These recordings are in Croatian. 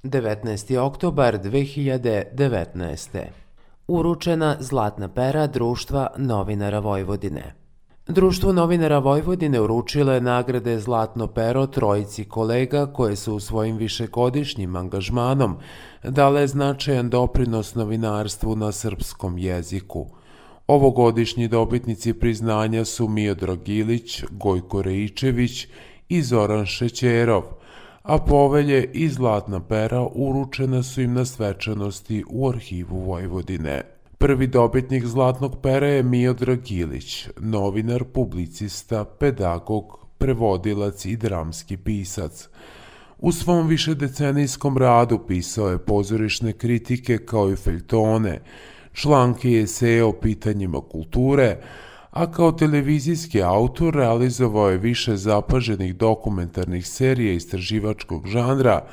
19. oktobar 2019. Uručena Zlatna pera Društva novinara Vojvodine. Društvo novinara Vojvodine uručilo je nagrade Zlatno pero trojici kolega koje su u svojim višegodišnjim angažmanom dale značajan doprinos novinarstvu na srpskom jeziku. Ovogodišnji dobitnici priznanja su Miodrag Ilić, Gojko Reičević i Zoran Šećerov, a povelje i Zlatna pera uručena su im na svečanosti u Arhivu Vojvodine. Prvi dobitnik Zlatnog pera je Miodrag Ilić, novinar, publicista, pedagog, prevodilac i dramski pisac. U svom višedecenijskom radu pisao je pozorišne kritike kao i feljtone, članke i eseje o pitanjima kulture, a kao televizijski autor realizovao je više zapaženih dokumentarnih serija istraživačkog žanra,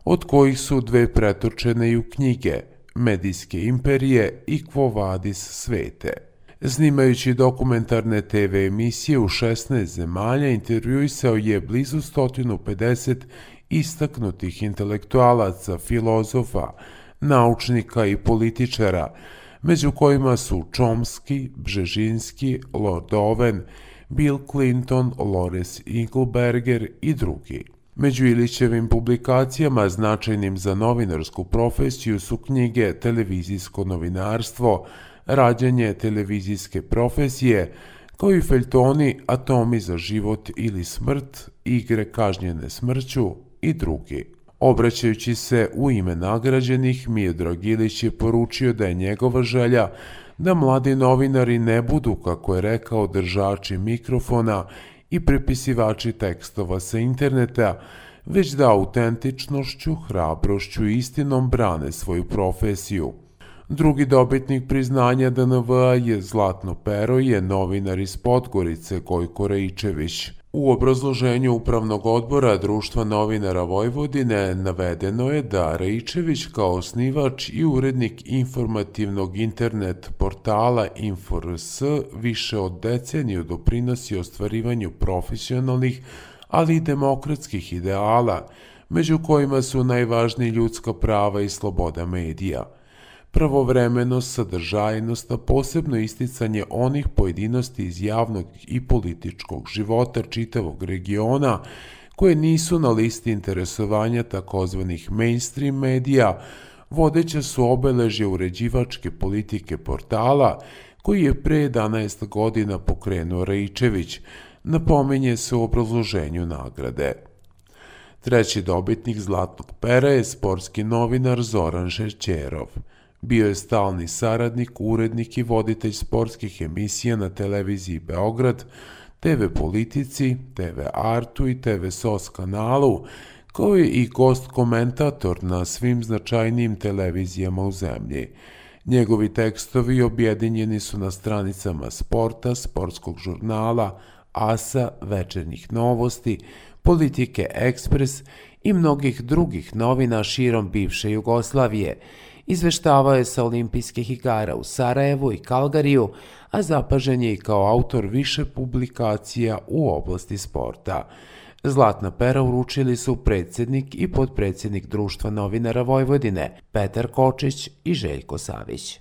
od kojih su dve pretočene i u knjige Medijske imperije i Quo Vadis svete. Snimajući dokumentarne TV emisije u 16 zemalja, intervjuisao je blizu 150 istaknutih intelektualaca, filozofa, naučnika i političara, među kojima su Chomsky, Bžežinski, Lord Owen, Bill Clinton, Lawrence Engelberger i drugi. Među Ilićevim publikacijama značajnim za novinarsku profesiju su knjige Televizijsko novinarstvo, Rađanje televizijske profesije, kao i feljtoni Atomi za život ili smrt, Igre kažnjene smrću i drugi. Obraćajući se u ime nagrađenih, Miodrag Ilić je poručio da je njegova želja da mladi novinari ne budu, kako je rekao, držači mikrofona i prepisivači tekstova sa interneta, već da autentičnošću, hrabrošću i istinom brane svoju profesiju. Drugi dobitnik priznanja DNV-a je Zlatno pero je novinar iz Podgorice Gojko Reičević. U obrazloženju Upravnog odbora Društva novinara Vojvodine navedeno je da Reičević kao osnivač i urednik informativnog internet portala Info.rs više od deceniju doprinosi ostvarivanju profesionalnih, ali i demokratskih ideala, među kojima su najvažniji ljudska prava i sloboda medija. Pravovremenost, sadržajnost, a posebno isticanje onih pojedinosti iz javnog i političkog života čitavog regiona koje nisu na listi interesovanja takozvanih mainstream medija, vodeća su obeležje uređivačke politike portala koji je pre 11 godina pokrenuo Reičević, napominje se u obrazloženju nagrade. Treći dobitnik Zlatnog pera je sportski novinar Zoran Šećerov. Bio je stalni saradnik, urednik i voditelj sportskih emisija na televiziji Beograd, TV Politici, TV Artu i TV SOS kanalu, kao je i gost-komentator na svim značajnijim televizijama u zemlji. Njegovi tekstovi objedinjeni su na stranicama Sporta, Sportskog žurnala, AS-a, Večernjih novosti, Politike Ekspres i mnogih drugih novina širom bivše Jugoslavije. Izveštavao je sa olimpijskih igara u Sarajevu i Kalgariju, a zapažen je i kao autor više publikacija u oblasti sporta. Zlatna pera uručili su predsjednik i potpredsjednik Društva novinara Vojvodine Petar Kočić i Željko Savić.